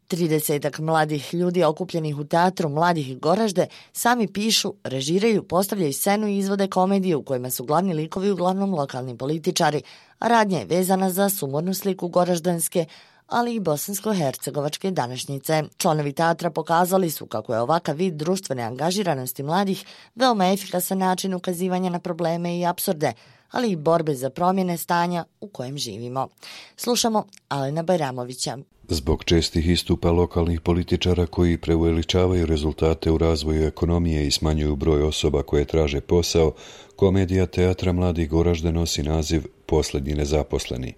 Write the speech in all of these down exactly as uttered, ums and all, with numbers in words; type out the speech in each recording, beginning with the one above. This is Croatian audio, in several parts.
Tridesetak mladih ljudi okupljenih u teatru Mladih Goražde sami pišu, režiraju, postavljaju scenu i izvode komedije u kojima su glavni likovi uglavnom lokalni političari, a radnja je vezana za sumornu sliku goraždanske, ali i bosansko-hercegovačke današnjice. Članovi teatra pokazali su kako je ovakav vid društvene angažiranosti mladih veoma efikasan način ukazivanja na probleme i apsurde, ali i borbe za promjene stanja u kojem živimo. Slušamo Alena Bajramovića. Zbog čestih istupa lokalnih političara koji preuveličavaju rezultate u razvoju ekonomije i smanjuju broj osoba koje traže posao, komedija Teatra Mladih Goražde nosi naziv Posljednji nezaposleni.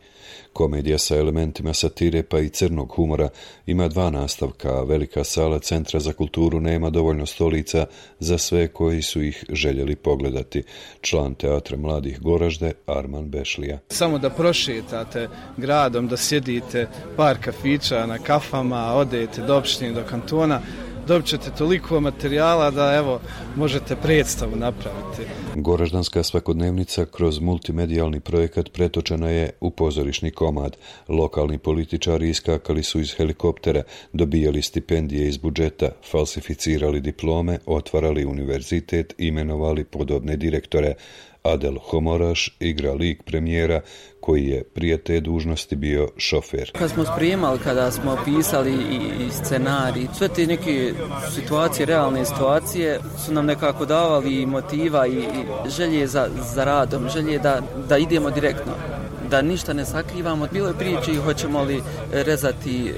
Komedija sa elementima satire pa i crnog humora ima dva nastavka, a velika sala Centra za kulturu nema dovoljno stolica za sve koji su ih željeli pogledati. Član Teatra Mladih Goražde Arman Bešlija. Samo da prošetate gradom, da sjedite par kafića na kafama, odete do opštine, do kantona, dobit ćete toliko materijala da evo možete predstavu napraviti. Goraždanska svakodnevnica kroz multimedijalni projekat pretočena je u pozorišni komad. Lokalni političari iskakali su iz helikoptera, dobijali stipendije iz budžeta, falsificirali diplome, otvarali univerzitet, imenovali podobne direktore. Adel Homoraš igra lik premijera koji je prije te dužnosti bio šofer. Kad smo spremali, kada smo pisali i scenarij, sve te neke situacije, realne situacije su nam nekako davali motiva i želje za, za radom, želje da, da idemo direktno, da ništa ne sakrivamo. Bilo je priče hoćemo li rezati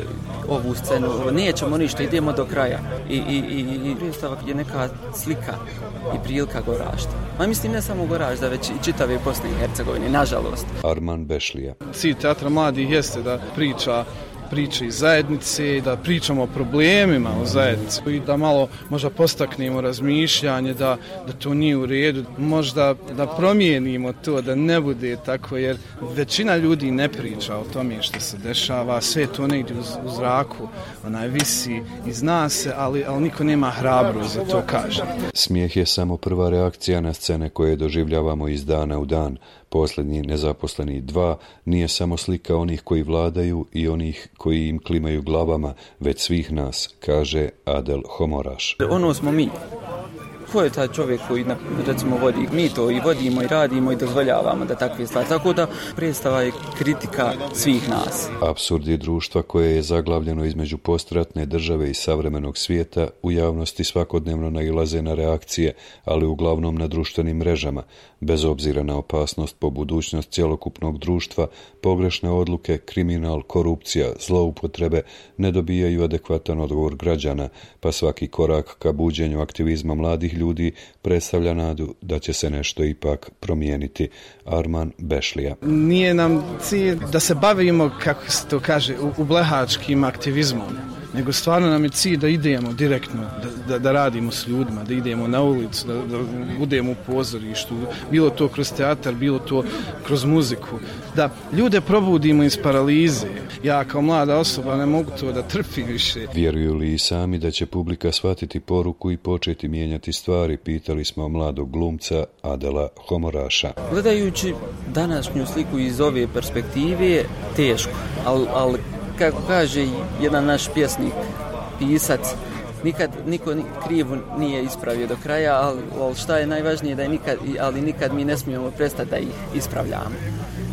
ovu scenu, nećemo ništa, idemo do kraja. I, i, i, i predstavak je neka slika i prilika Goražda. Ma mislim ne samo Goražda, već i čitave Bosne i Hercegovine, nažalost. Arman Bešlija. Cilj Teatra Mladih jeste da priča priče iz zajednice i da pričamo o problemima u zajednici i da malo možda postaknemo razmišljanje da, da to nije u redu, možda da promijenimo to, da ne bude tako, jer većina ljudi ne priča o tome što se dešava, sve to negdje u, u zraku, onaj visi i zna se, ali, ali niko nema hrabrost za to kaže. Smijeh je samo prva reakcija na scene koje doživljavamo iz dana u dan. Posljednji nezaposleni dva nije samo slika onih koji vladaju i onih koji im klimaju glavama, već svih nas, kaže Adel Homoraš. Ono smo mi. Ko je taj čovjek koji, recimo, vodi? Mi to i vodimo i radimo i dozvoljavamo da takve stvari. Tako da predstava je kritika svih nas. Apsurdi društva koje je zaglavljeno između postratne države i savremenog svijeta u javnosti svakodnevno nailaze na reakcije, ali uglavnom na društvenim mrežama. Bez obzira na opasnost po budućnost cjelokupnog društva, pogrešne odluke, kriminal, korupcija, zloupotrebe ne dobijaju adekvatan odgovor građana, pa svaki korak ka buđenju aktivizma mladih ljudi predstavlja nadu da će se nešto ipak promijeniti. Arman Bešlija. Nije nam cilj da se bavimo, kako se to kaže, ublehačkim aktivizmom, nego stvarno nam je cilj da idemo direktno, da, da, da radimo s ljudima, da idemo na ulicu, da, da budemo u pozorištu, bilo to kroz teatar, bilo to kroz muziku, da ljude probudimo iz paralize. Ja kao mlada osoba ne mogu to da trpim više. Vjeruju li i sami da će publika shvatiti poruku i početi mijenjati stvari, pitali smo mladog glumca Adela Homoraša. Gledajući današnju sliku iz ove perspektive, teško, ali al, kako kaže jedan naš pjesnik, pisac, nikad niko krivo nije ispravio do kraja, ali, ali šta je najvažnije da je nikad, ali nikad mi ne smijemo prestati da ih ispravljamo.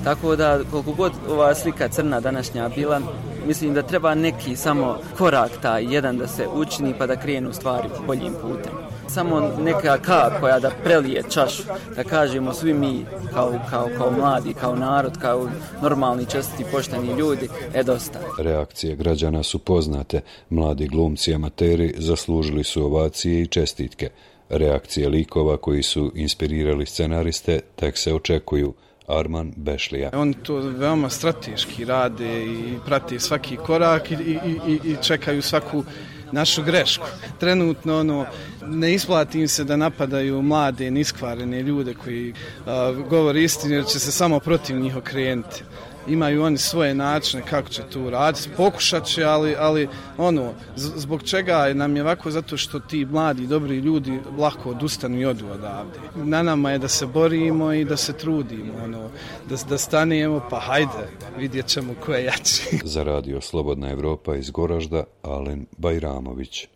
Tako da koliko god ova slika crna današnja bila, mislim da treba neki samo korak taj jedan da se učini pa da krenu stvari boljim putem. Samo neka kap koja da prelije čašu, da kažemo svi mi kao, kao, kao mladi, kao narod, kao normalni, čestiti, pošteni ljudi, je dosta. Reakcije građana su poznate. Mladi glumci amateri zaslužili su ovacije i čestitke. Reakcije likova koji su inspirirali scenariste tek se očekuju. Arman Bešlija. Oni to veoma strateški rade i prate svaki korak i, i, i, i čekaju svaku našu grešku. Trenutno ono, ne isplati im se da napadaju mlade, niskvarene ljude koji uh, govore istinu jer će se samo protiv njih okrenuti. imaju oni svoje načine kako će to uraditi, pokušat će, ali, ali ono, zbog čega nam je ovako, zato što ti mladi, dobri ljudi lako odustanu i odu odavde. Na nama je da se borimo i da se trudimo, ono, da, da stanemo, pa hajde, vidjet ćemo ko je jači. Za radio Slobodna Evropa iz Goražda, Alen Bajramović.